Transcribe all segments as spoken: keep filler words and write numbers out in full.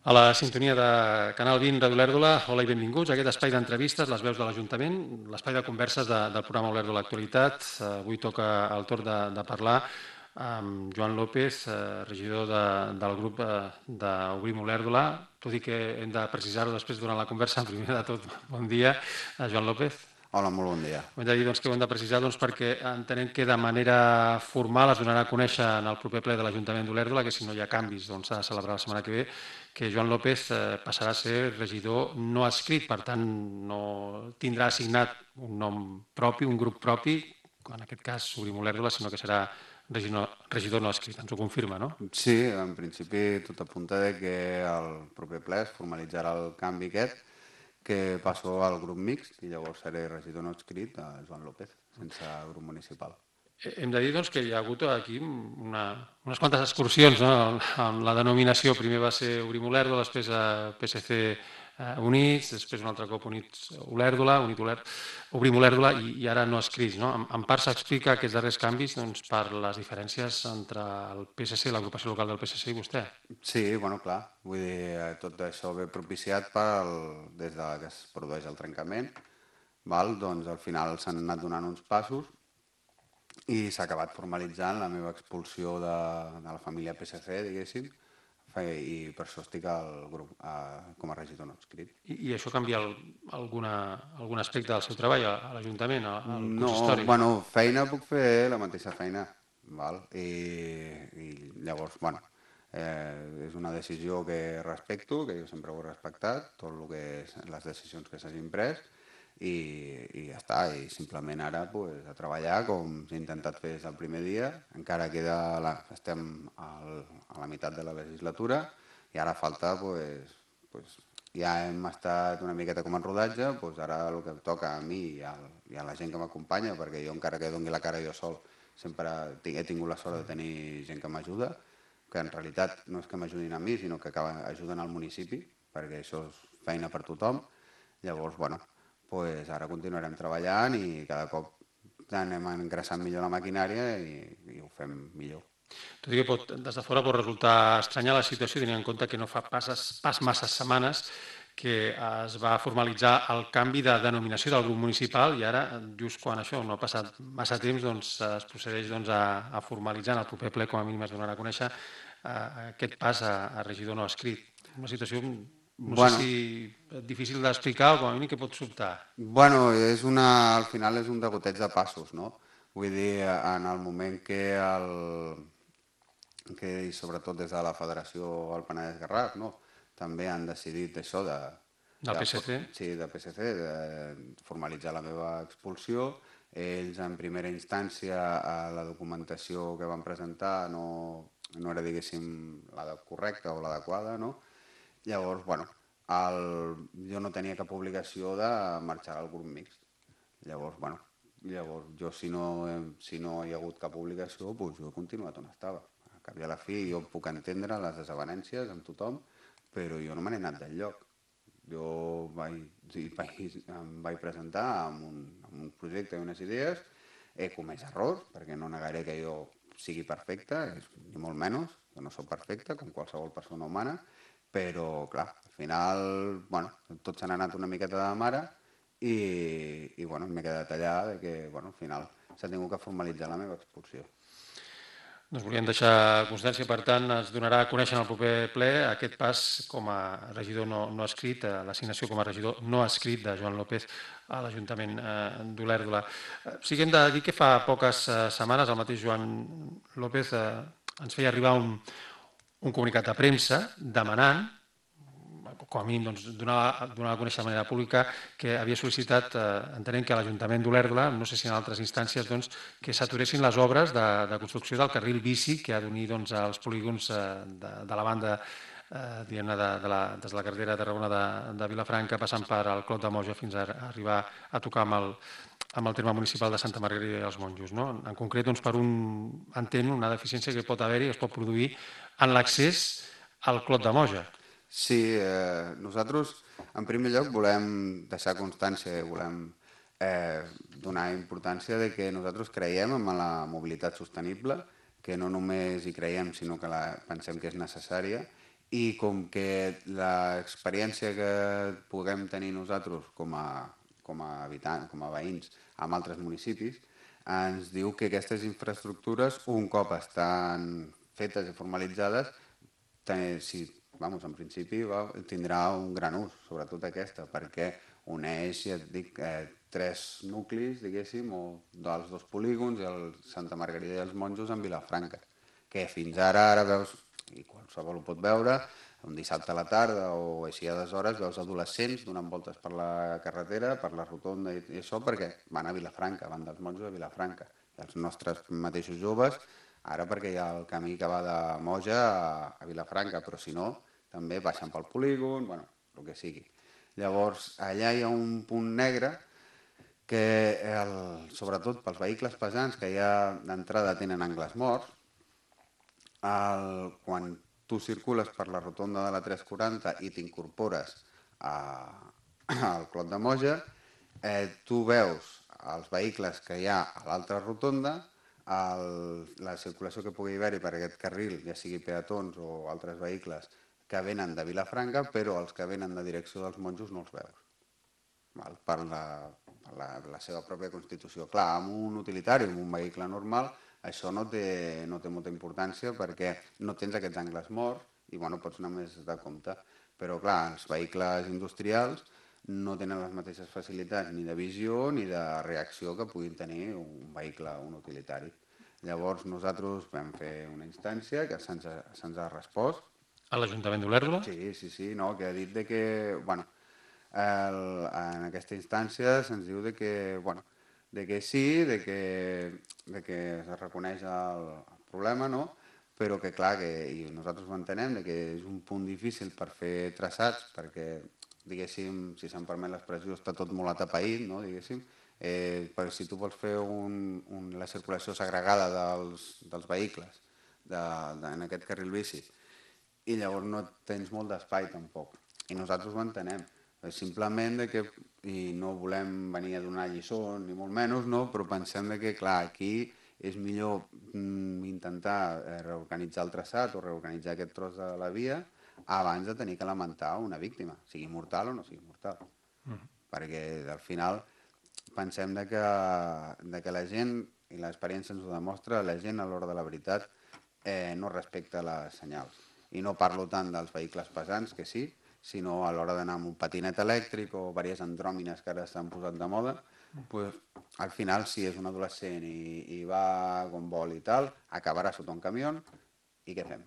A la sintonia de Canal vint, Ràdio Olèrdola, hola i benvinguts a aquest espai d'entrevistes, les veus de l'Ajuntament, l'espai de converses de, del programa Olèrdola Actualitat. Avui toca el torn de, de parlar amb Joan López, eh, regidor de, del grup eh, d'Obrim Olèrdola. Tot i que hem de precisar-ho després durant la conversa, primer de tot, bon dia, eh, Joan López. Hola, molt bon dia. Ho hem de dir doncs, que ho hem de precisar doncs, perquè entenem que de manera formal es donarà a conèixer en el proper ple de l'Ajuntament d'Olèrdola, que si no hi ha canvis s'ha doncs, de celebrar la setmana que ve, que Joan López eh, passarà a ser regidor no adscrit, per tant no tindrà assignat un nom propi, un grup propi, en aquest cas Obrim Olèrdola, sinó que serà regidor, regidor no adscrit. Ens ho confirma, no? Sí, en principi tot apunta que el proper ple es formalitzarà el canvi aquest, que passo al grup mixt i llavors seré regidor no adscrit a Joan López, sense grup municipal. Hem de dir doncs, que hi ha hagut aquí una, unes quantes excursions, no? Amb la denominació, primer va ser Obrim Olèrdola, després a P S C eh, Units, després un altre cop Units Olèrdola, Unit Olèrdola, Obrim Olèrdola i, i ara no escrits. No? En, en part s'explica aquests darrers canvis doncs, per les diferències entre el P S C, l'agrupació local del P S C i vostè. Sí, bueno, clar, vull dir, tot això ve propiciat pel, des de que es produeix el trencament, val? Doncs al final s'han anat donant uns passos i s'ha acabat formalitzant la meva expulsió de, de la família P S C, diguéssim, i per això estic al grup, a, com a regidor no adscrit. I, i això canvia el, alguna, algun aspecte del seu treball a, a l'Ajuntament, al No, consistori? bueno, feina puc fer la mateixa feina, val? I, i llavors, bueno, eh, és una decisió que respecto, que jo sempre ho he respectat, tot el que és les decisions que s'hagin pres, i, i ja està, i simplement ara pues, a treballar com he intentat fer des del primer dia, encara queda la, estem al, a la meitat de la legislatura i ara falta, pues, pues, ja hem estat una miqueta com en rodatge, pues ara el que toca a mi i a, i a la gent que m'acompanya, perquè jo encara que doni la cara jo sol, sempre he tingut la sort de tenir gent que m'ajuda, que en realitat no és que m'ajudin a mi, sinó que ajuden al municipi, perquè això és feina per tothom. Llavors, bueno, pues ara continuarem treballant i cada cop anem engraçant millor la maquinària i, i ho fem millor. Tot i que pot, des de fora pot resultar estranya la situació, tenint en compte que no fa passes, pas masses setmanes que es va formalitzar el canvi de denominació del grup municipal i ara, just quan això no ha passat massa temps, doncs, es procedeix doncs, a, a formalitzar en el proper ple, com a mínim es donarà a conèixer, eh, aquest pas a, a regidor no escrit. Una situació, no bueno, sé si difícil d'explicar o com a mínim que pot sobtar. Bueno, és una, al final és un degoteig de passos, no? Vull dir, en el moment que el que i sobretot des de la Federació al Penedès Garraf, no? També han decidit això de, del P S C? De, sí, del P S C, de formalitzar la meva expulsió. Ells, en primera instància, a la documentació que van presentar no, no era, diguéssim, la correcta o l'adequada, no? Llavors, bueno, el, jo no tenia cap obligació de marxar al grup mixt. Llavors, bueno, llavors jo si no, si no hi ha hagut cap obligació, doncs jo he continuat on estava. A cap i a la fi jo puc entendre les desavenències amb tothom, però jo no me n'he anat del lloc. Jo vaig, vaig, em vaig presentar amb un, amb un projecte i unes idees, he comès errors, perquè no negaré que jo sigui perfecte, ni molt menys, que no soc perfecte, com qualsevol persona humana, però, clar, al final, bueno, tot se n'ha anat una miqueta de mare i, i bueno, m'he quedat allà de que, bueno, al final s'ha tingut que formalitzar la meva expulsió. Doncs volíem deixar constància, per tant, es donarà a conèixer en el proper ple aquest pas com a regidor no, no escrit, l'assignació com a regidor no escrit de Joan López a l'Ajuntament eh, d'Olèrdola. Sí que hem de dir que fa poques eh, setmanes el mateix Joan López eh, ens feia arribar un, un comunicat de premsa demanant, com a mínim doncs, donar, donar a conèixer de manera pública que havia sol·licitat, eh, entenent que l'Ajuntament d'Olèrdola, no sé si en altres instàncies, doncs, que s'aturessin les obres de, de construcció del carril bici que ha d'unir doncs, els polígons eh, de, de la banda eh, diguem-ne, de, de la, des de la carretera de Tarragona de, de Vilafranca, passant per al Clot de Moja fins a, a arribar a tocar amb el, amb el terme municipal de Santa Margarida i els Monjos. No? En concret, doncs, per un entén una deficiència que pot haver-hi, es pot produir en l'accés al Clot de Moja. Sí, eh, nosaltres en primer lloc volem deixar constància, volem eh, donar importància de que nosaltres creiem en la mobilitat sostenible, que no només hi creiem sinó que la pensem que és necessària i com que l'experiència que puguem tenir nosaltres com a, com a habitants, com a veïns amb altres municipis, ens diu que aquestes infraestructures, un cop estan fetes i formalitzades, si, vamos, en principi va, tindrà un gran ús, sobretot aquesta, perquè uneix, ja et dic, eh, tres nuclis, diguéssim, o dels dos polígons, el Santa Margarida i els Monjos en Vilafranca, que fins ara, ara veus, i qualsevol ho pot veure, un dissabte a la tarda o així a des hores, veus adolescents donant voltes per la carretera, per la rotonda i això, perquè van a Vilafranca, van dels Monjos a Vilafranca. I els nostres mateixos joves, ara perquè hi ha el camí que va de Moja a Vilafranca, però si no, també baixen pel polígon, bueno, el que sigui. Llavors, allà hi ha un punt negre que, el, sobretot pels vehicles pesants que ja d'entrada tenen angles morts, el, quan tu circules per la rotonda de la tres quaranta i t'incorpores al Clot de Moja, eh, tu veus els vehicles que hi ha a l'altra rotonda, el, la circulació que pugui haver-hi per aquest carril, ja sigui peatons o altres vehicles que venen de Vilafranca, però els que venen de direcció dels Monjos no els veus, val? Per, la, per la, la seva pròpia constitució. Clar, amb un utilitari, amb un vehicle normal, això no té, no té molta importància perquè no tens aquests angles morts i bueno, pots anar més de compte. Però clar, els vehicles industrials no tenen les mateixes facilitats ni de visió ni de reacció que puguin tenir un vehicle, un utilitari. Llavors nosaltres vam fer una instància que se'ns ha, se'ns ha respost. A l'Ajuntament d'Olèrdola? Sí, sí, sí, no, que ha dit de que, bueno, el, en aquesta instància se'ns diu de que, bueno, de que sí, de que, de que es reconeix el, el problema, no? Però que clar, que, i nosaltres ho entenem, de que és un punt difícil per fer traçats, perquè, diguéssim, si se'm permet l'expressió, està tot molt atapeït, no? Diguéssim, eh, perquè si tu vols fer un, un, la circulació segregada dels, dels vehicles de, de, en aquest carril bici, i llavors no tens molt d'espai tampoc. I nosaltres ho entenem. Simplement de que, i no volem venir a donar lliçons, ni molt menys, no? Però pensem de que, clar, aquí és millor mm, intentar reorganitzar el traçat o reorganitzar aquest tros de la via abans de tenir que lamentar una víctima, sigui mortal o no sigui mortal. Mm. Perquè al final pensem de que, de que la gent, i l'experiència ens ho demostra, la gent a l'hora de la veritat eh, no respecta les senyals. I no parlo tant dels vehicles pesants, que sí, sinó a l'hora d'anar amb un patinet elèctric o diverses andròmines que ara s'han posat de moda, pues, al final, si és un adolescent i, i va com vol i tal, acabarà sota un camió i què fem?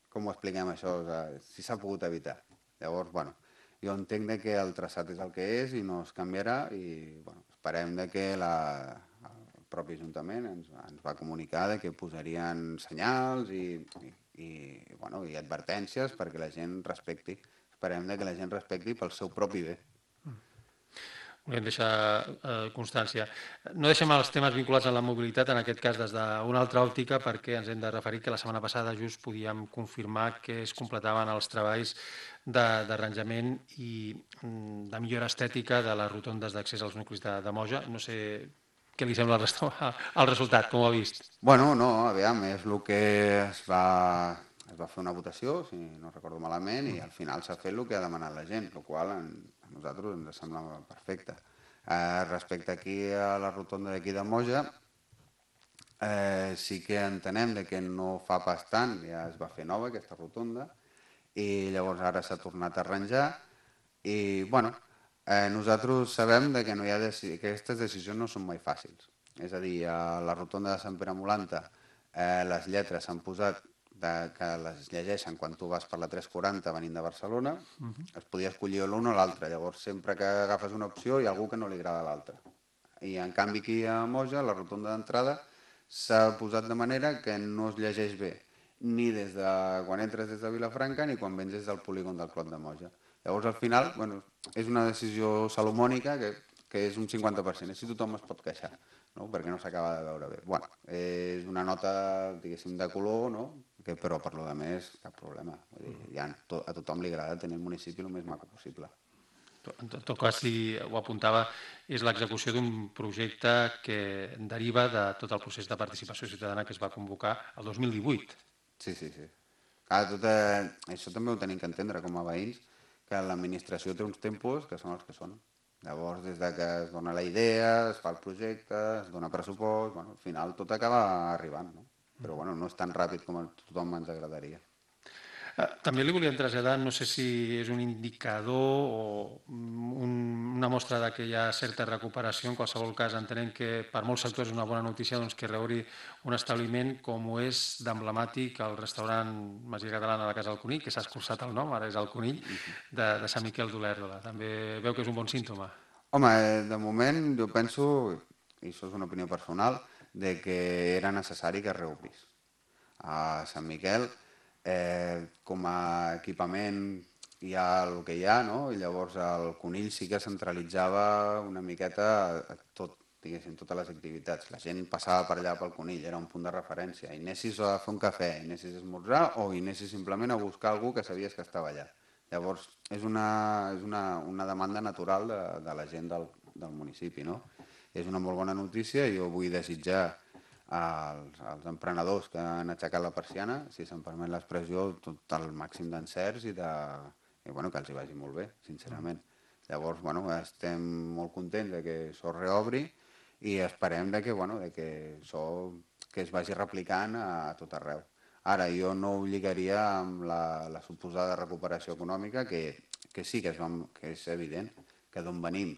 Com ho expliquem això? O sigui, si s'ha pogut evitar. Llavors, bueno, jo entenc que el traçat és el que és i no es canviarà i bueno, esperem de que la, el propi Ajuntament ens, ens va comunicar de que posarien senyals i, i, i, bueno, i advertències perquè la gent respecti. Esperem de que la gent respecti pel seu propi bé. Volem deixar eh, constància. No deixem els temes vinculats a la mobilitat, en aquest cas des d'una altra òptica, perquè ens hem de referir que la setmana passada just podíem confirmar que es completaven els treballs d'arranjament i de millora estètica de les rotondes d'accés als nuclis de, de Moja. No sé què li sembla el, el resultat, com ho ha vist. Bueno, no, aviam, és el que es va, es va fer una votació, si no recordo malament, i al final s'ha fet el que ha demanat la gent, el qual en, a nosaltres ens sembla perfecte. Eh, respecte aquí a la rotonda d'aquí de Moja, eh, sí que entenem de que no fa pas tant, ja es va fer nova aquesta rotonda, i llavors ara s'ha tornat a arranjar, i bueno, eh, nosaltres sabem de que, no hi ha deci que aquestes decisions no són mai fàcils. És a dir, a la rotonda de Sant Pere Molanta eh, les lletres s'han posat de, que les llegeixen quan tu vas per la tres quaranta venint de Barcelona, uh -huh. es podia escollir l'una o l'altra, llavors sempre que agafes una opció hi ha algú que no li agrada l'altra. I en canvi aquí a Moja, la rotonda d'entrada, s'ha posat de manera que no es llegeix bé, ni des de quan entres des de Vilafranca ni quan vens des del polígon del Clot de Moja. Llavors al final, bueno, és una decisió salomònica que, que és un cinquanta per cent, així tothom es pot queixar, no? Perquè no s'acaba de veure bé. Bueno, és una nota, diguéssim, de color, no? Que, però per lo de més, cap problema. Vull dir, ja a tothom li agrada tenir el municipi el més maco possible. En tot cas, si ho apuntava, és l'execució d'un projecte que deriva de tot el procés de participació ciutadana que es va convocar el dos mil divuit. Sí, sí, sí. Clar, tot, eh, això també ho tenim que entendre com a veïns, que l'administració té uns tempos que són els que són. Llavors, des de que es dona la idea, es fa el projecte, es dona pressupost, bueno, al final tot acaba arribant, no? Però bueno, no és tan ràpid com a tothom ens agradaria. També li volíem traslladar, no sé si és un indicador o un, una mostra de que hi ha certa recuperació. En qualsevol cas, entenem que per molts sectors és una bona notícia doncs, que reobri un establiment com ho és d'emblemàtic el restaurant Masia Catalana de la Casa del Conill, que s'ha escurçat el nom, ara és el Conill, de, de Sant Miquel d'Olèrdola. També veu que és un bon símptoma? Home, de moment jo penso, i això és una opinió personal, de que era necessari que es reobrís. A Sant Miquel, eh, com a equipament hi ha el que hi ha, no? I llavors el Conill sí que centralitzava una miqueta tot, diguéssim, totes les activitats. La gent passava per allà pel Conill, era un punt de referència. I anessis a fer un cafè, i anessis a esmorzar, o i anessis simplement a buscar algú que sabies que estava allà. Llavors, és una, és una, una demanda natural de, de la gent del, del municipi, no? És una molt bona notícia i jo vull desitjar als, als emprenedors que han aixecat la persiana, si se'm permet l'expressió, tot el màxim d'encerts i, de, i bueno, que els hi vagi molt bé, sincerament. Llavors, bueno, estem molt contents de que això reobri i esperem de que, bueno, de que això que es vagi replicant a, a tot arreu. Ara, jo no ho lligaria amb la, la suposada recuperació econòmica, que, que sí que és, que és evident, que d'on venim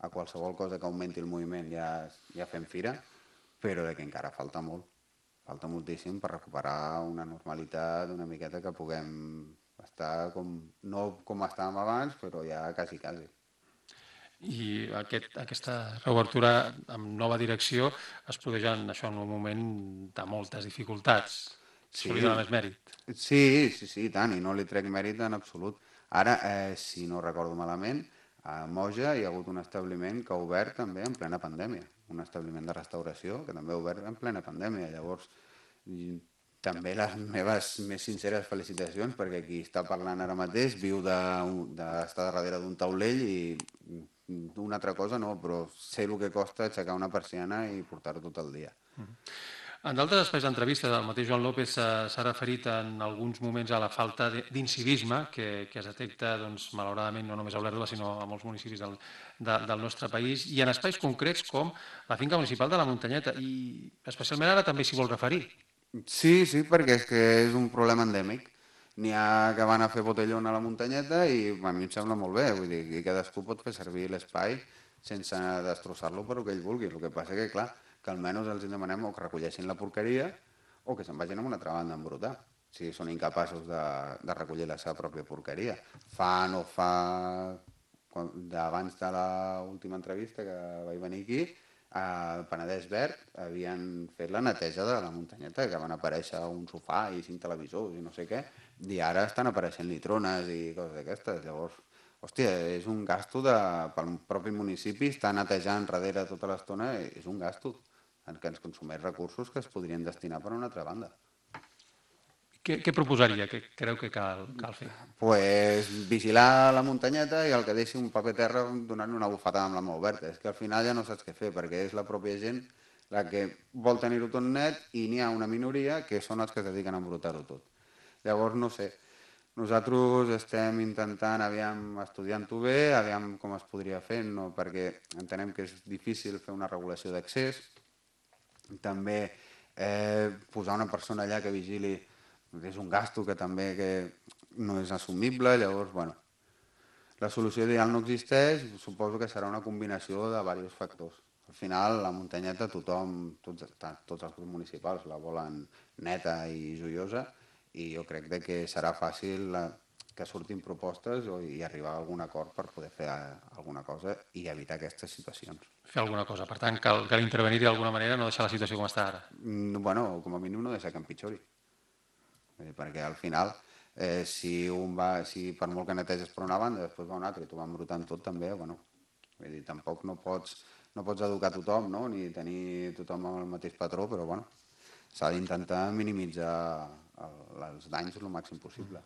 a qualsevol cosa que augmenti el moviment ja, ja fem fira, però de que encara falta molt, falta moltíssim per recuperar una normalitat una miqueta que puguem estar com, no com estàvem abans, però ja quasi, quasi. I aquest, aquesta reobertura amb nova direcció es produeix en, això, en un moment de moltes dificultats. Sí, Se li dona més mèrit. Sí, sí, sí, i tant, i no li trec mèrit en absolut. Ara, eh, si no recordo malament, a Moja hi ha hagut un establiment que ha obert també en plena pandèmia, un establiment de restauració que també ha obert en plena pandèmia. Llavors, també les meves més sinceres felicitacions, perquè qui està parlant ara mateix viu d'estar darrere d'un taulell i una altra cosa no, però sé el que costa aixecar una persiana i portar-ho tot el dia. En d'altres espais d'entrevista, el mateix Joan López s'ha referit en alguns moments a la falta d'incivisme que, que es detecta, doncs, malauradament, no només a Olèrdola, sinó a molts municipis del, de, del nostre país, i en espais concrets com la finca municipal de la Muntanyeta, i especialment ara també s'hi vol referir. Sí, sí, perquè és que és un problema endèmic. N'hi ha que van a fer botellón a la muntanyeta i a mi em sembla molt bé, vull dir, que cadascú pot fer servir l'espai sense destrossar-lo per el que ell vulgui. El que passa que, clar, que almenys els demanem o que recolleixin la porqueria o que se'n vagin a una altra banda a embrutar, si són incapaços de, de recollir la seva pròpia porqueria. Fa no fa, abans de l'última entrevista que vaig venir aquí, al Penedès Verd havien fet la neteja de la muntanyeta, que van aparèixer un sofà i cinc televisors i no sé què, i ara estan apareixent litrones i coses d'aquestes. Llavors, hòstia, és un gasto de, pel propi municipi, estar netejant darrere tota l'estona, és un gasto que ens consumeix recursos que es podrien destinar per a una altra banda. Què, què proposaria? Què creu que cal, cal fer? Pues vigilar la muntanyeta i el que deixi un paper terra donant una bufetada amb la mà oberta. És que al final ja no saps què fer, perquè és la pròpia gent la que vol tenir-ho tot net i n'hi ha una minoria que són els que es dediquen a embrutar-ho tot. Llavors, no sé, nosaltres estem intentant, aviam, estudiant-ho bé, aviam com es podria fer, no? Perquè entenem que és difícil fer una regulació d'accés, també eh, posar una persona allà que vigili és un gasto que també que no és assumible, llavors, bueno, la solució ideal no existeix, suposo que serà una combinació de diversos factors. Al final, la muntanyeta, tothom, tots, tots els grups municipals la volen neta i joiosa, i jo crec que serà fàcil que surtin propostes i arribar a algun acord per poder fer alguna cosa i evitar aquestes situacions. Fer alguna cosa, per tant, cal, cal intervenir d'alguna manera, no deixar la situació com està ara. Bueno, com a mínim no deixar que empitjori. Perquè al final, eh, si, un va, si per molt que neteges per una banda, després va una altra i tu vas embrutant tot també, bueno, vull dir, tampoc no pots, no pots educar tothom, no? Ni tenir tothom el mateix patró, però bueno, s'ha d'intentar minimitzar el, els danys el màxim possible.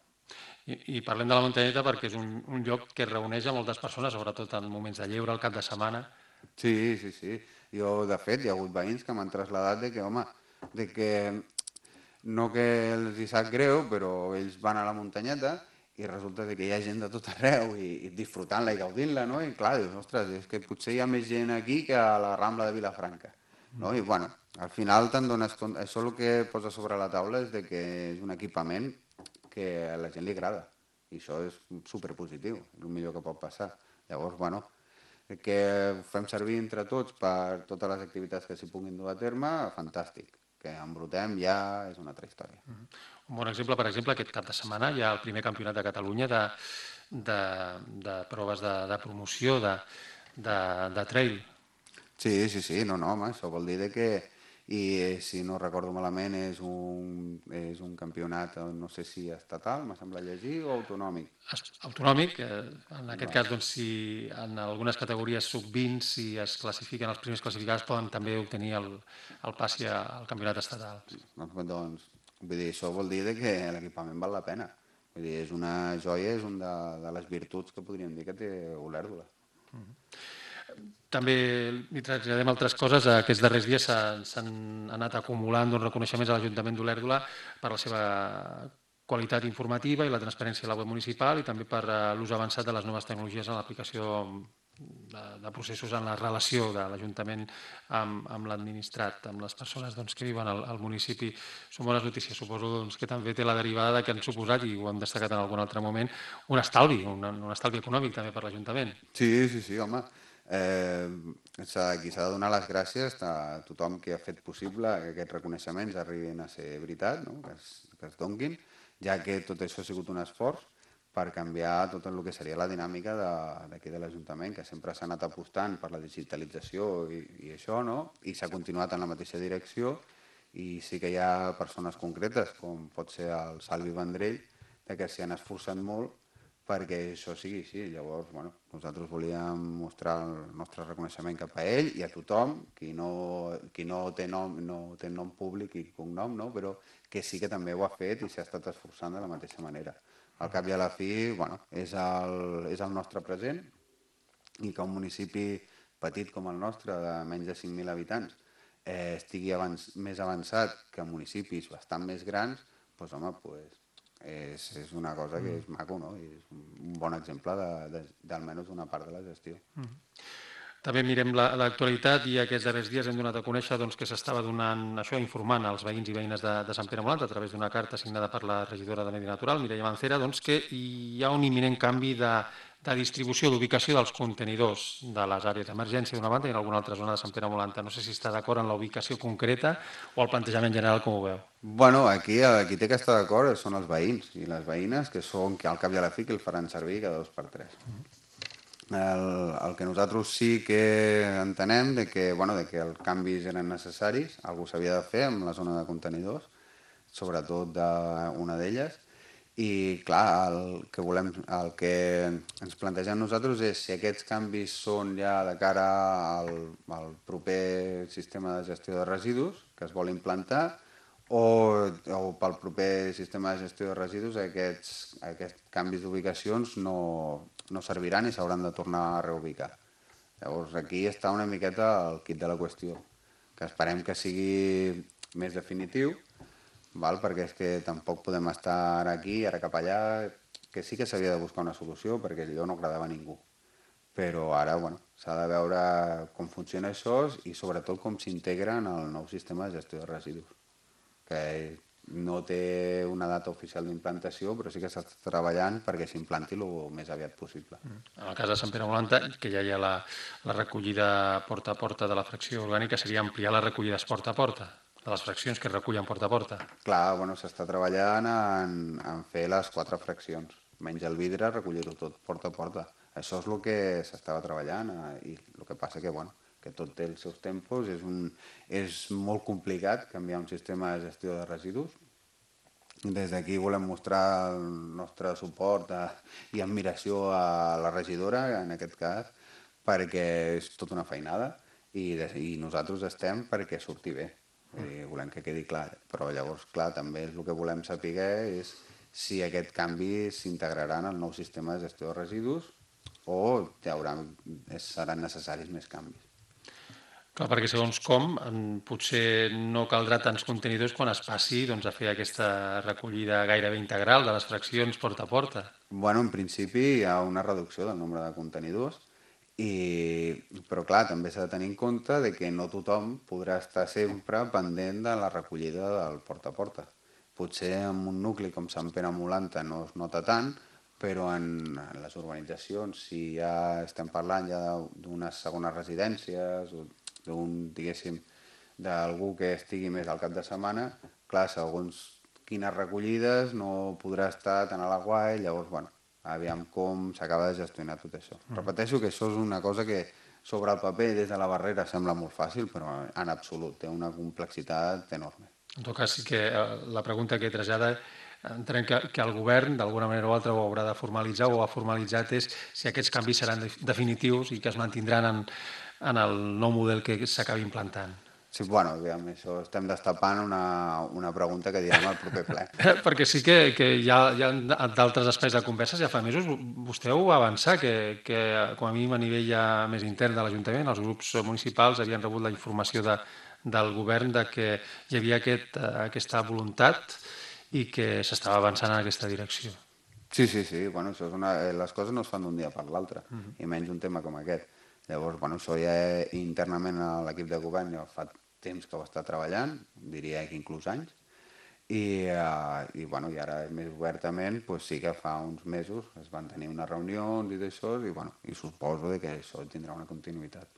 I, i parlem de la muntanyeta perquè és un, un lloc que reuneix a moltes persones, sobretot en moments de lleure, al cap de setmana. Sí, sí, sí. Jo, de fet, hi ha hagut veïns que m'han traslladat de que, home, de que no que els hi sap greu, però ells van a la muntanyeta i resulta que hi ha gent de tot arreu i, i disfrutant-la i gaudint-la, no? I clar, dius, ostres, és que potser hi ha més gent aquí que a la Rambla de Vilafranca, no? I bueno, al final te'n dones compte, això el que posa sobre la taula és de que és un equipament que a la gent li agrada i això és superpositiu, el millor que pot passar. Llavors, bueno, que ho fem servir entre tots per totes les activitats que s'hi puguin dur a terme, fantàstic. Que embrutem ja és una altra història. Un bon exemple, per exemple, aquest cap de setmana hi ha el primer campionat de Catalunya de, de, de proves de, de promoció de, de, de trail. Sí, sí, sí, no, no, home, això vol dir que, i si no recordo malament, és un, és un campionat, no sé si estatal, m'ha semblat llegir, o autonòmic. Autonòmic, eh, en aquest cas, doncs, si en algunes categories sub vint, si es classifiquen els primers classificats, poden també obtenir el, el passi al campionat estatal. Doncs, doncs, vull dir, això vol dir que l'equipament val la pena. Vull dir, és una joia, és una de, de les virtuts que podríem dir que té Olèrdola. També li traslladem altres coses. Aquests darrers dies s'han anat acumulant uns reconeixements a l'Ajuntament d'Olèrdola per la seva qualitat informativa i la transparència de la web municipal i també per l'ús avançat de les noves tecnologies en l'aplicació de, de processos en la relació de l'Ajuntament amb, amb l'administrat, amb les persones doncs, que viuen al, al municipi. Són bones notícies. Suposo doncs, que també té la derivada que han suposat, i ho hem destacat en algun altre moment, un estalvi, un, un estalvi econòmic també per l'Ajuntament. Sí, sí, sí, home. Eh, qui s'ha de donar les gràcies a tothom que ha fet possible que aquests reconeixements arribin a ser veritat, no? que, es, que es donguin, ja que tot això ha sigut un esforç per canviar tot el que seria la dinàmica d'aquí de, de l'Ajuntament, que sempre s'ha anat apostant per la digitalització i, i això, no? I s'ha continuat en la mateixa direcció, i sí que hi ha persones concretes, com pot ser el Salvi Vendrell, que s'hi han esforçat molt perquè això sigui així. Llavors, bueno, nosaltres volíem mostrar el nostre reconeixement cap a ell i a tothom, qui no, qui no, té, nom, no té nom públic i cognom, no? Però que sí que també ho ha fet i s'ha estat esforçant de la mateixa manera. Al cap i a la fi, bueno, és el, és el nostre present i que un municipi petit com el nostre, de menys de cinc mil habitants, eh, estigui abans, més avançat que municipis bastant més grans, doncs, home, pues, és, és una cosa que és maco, no? I és un bon exemple d'almenys d'una part de la gestió. Mm. També mirem l'actualitat i aquests darrers dies hem donat a conèixer doncs, que s'estava donant això, informant als veïns i veïnes de, de Sant Pere Molant a través d'una carta signada per la regidora de Medi Natural, Mireia Mancera, doncs, que hi ha un imminent canvi de, de distribució, d'ubicació dels contenidors de les àrees d'emergència d'una banda i en alguna altra zona de Sant Pere Molanta. No sé si està d'acord en la ubicació concreta o el plantejament general, com ho veu. Bueno, aquí, aquí té que estar d'acord són els veïns i les veïnes, que són que al cap i a la fi que el faran servir cada dos per tres. El, el que nosaltres sí que entenem de que, bueno, de que els canvis eren necessaris, algú s'havia de fer amb la zona de contenidors, sobretot d'una d'elles, i clar, el que, volem, el que ens plantegem nosaltres és si aquests canvis són ja de cara al, al proper sistema de gestió de residus que es vol implantar o, o pel proper sistema de gestió de residus aquests, aquests canvis d'ubicacions no, no serviran i s'hauran de tornar a reubicar. Llavors aquí està una miqueta el quid de la qüestió, que esperem que sigui més definitiu, val? Perquè és que tampoc podem estar aquí, ara cap allà, que sí que s'havia de buscar una solució perquè allò no agradava a ningú. Però ara, bueno, s'ha de veure com funciona això i sobretot com s'integra en el nou sistema de gestió de residus, que no té una data oficial d'implantació, però sí que s'està treballant perquè s'implanti el més aviat possible. En el cas de Sant Pere Molanta, que ja hi ha la, la recollida porta a porta de la fracció orgànica, seria ampliar les recollides porta a porta, de les fraccions que es recullen porta a porta. Clar, bueno, s'està treballant en, en fer les quatre fraccions, menys el vidre, recollir-ho tot porta a porta. Això és el que s'estava treballant eh, i el que passa que, bueno, que tot té els seus tempos, és, un, és molt complicat canviar un sistema de gestió de residus. Des d'aquí volem mostrar el nostre suport a, i admiració a la regidora, en aquest cas, perquè és tota una feinada i, de, i nosaltres estem perquè surti bé. I volem que quedi clar, però llavors, clar, també el que volem saber és si aquest canvi s'integrarà en el nou sistema de gestió de residus o hi haurà, seran necessaris més canvis. Clar, perquè segons com, potser no caldrà tants contenidors quan es passi doncs, a fer aquesta recollida gairebé integral de les fraccions porta a porta. Bueno, en principi hi ha una reducció del nombre de contenidors, i, però clar, també s'ha de tenir en compte de que no tothom podrà estar sempre pendent de la recollida del porta a porta. Potser en un nucli com Sant Pere Molanta no es nota tant, però en, en les urbanitzacions, si ja estem parlant ja d'unes segones residències o d'un, diguéssim, d'algú que estigui més al cap de setmana, clar, segons quines recollides no podrà estar tan a l'aguai, llavors, bueno, aviam com s'acaba de gestionar tot això. Mm. Repeteixo que això és una cosa que sobre el paper des de la barrera sembla molt fàcil, però en absolut té una complexitat enorme. En tot cas, sí que la pregunta que trasllada, entenem que, que el govern d'alguna manera o altra ho haurà de formalitzar o ho ha formalitzat, és si aquests canvis seran definitius i que es mantindran en, en el nou model que s'acabi implantant. Sí, bueno, aviam, això estem destapant una, una pregunta que direm al proper ple. Perquè sí que, que hi ha, hi ha d'altres espais de converses, ja fa mesos, vostè ho va avançar, que, que com a mínim a nivell ja més intern de l'Ajuntament, els grups municipals havien rebut la informació de, del govern de que hi havia aquest, aquesta voluntat i que s'estava avançant en aquesta direcció. Sí, sí, sí, bueno, això és una, les coses no es fan d'un dia per l'altre, uh -huh. i menys un tema com aquest. Llavors, bueno, això ja internament a l'equip de govern ja fa temps que ho està treballant, diria que inclús anys, i, uh, i, bueno, i ara més obertament pues, sí que fa uns mesos es van tenir unes reunions i d'això, i, bueno, i suposo que això tindrà una continuïtat.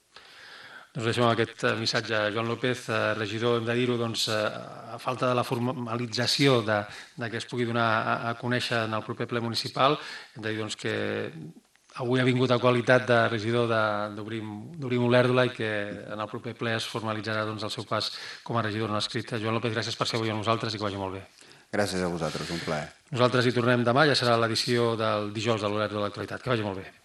Doncs deixem aquest missatge a Joan López, regidor, hem de dir-ho, doncs, a falta de la formalització de, de que es pugui donar a, a conèixer en el proper ple municipal, hem de dir doncs, que avui ha vingut a qualitat de regidor d'Obrim Olèrdola i que en el proper ple es formalitzarà doncs, el seu pas com a regidor no escrit. Joan López, gràcies per ser avui amb nosaltres i que vagi molt bé. Gràcies a vosaltres, un plaer. Nosaltres hi tornem demà, ja serà l'edició del dijous de l'Olèrdola de l'Actualitat. Que vagi molt bé.